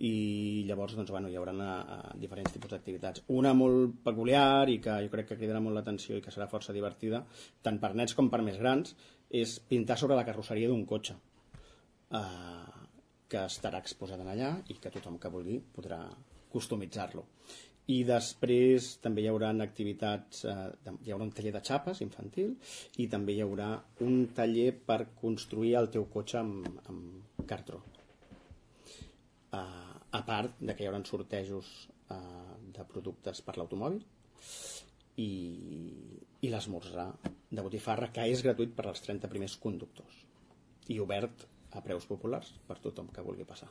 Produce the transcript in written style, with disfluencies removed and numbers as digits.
i llavors hi haurà diferents tipus d'activitats. Una molt peculiar i que jo crec que cridarà molt l'atenció i que serà força divertida, tant per nens com per més grans, és pintar sobre la carrosseria d'un cotxe, que estarà exposat allà i que tothom que vulgui podrà customitzar-lo. I després també hi haurà activitats, hi haurà un taller de xapes infantil i també hi haurà un taller per construir el teu cotxe amb cartró. A part que hi haurà sortejos de productes per l'automòbil i l'esmorzar de botifarra, que és gratuït per als 30 primers conductors i obert a preus populars per tothom que vulgui passar.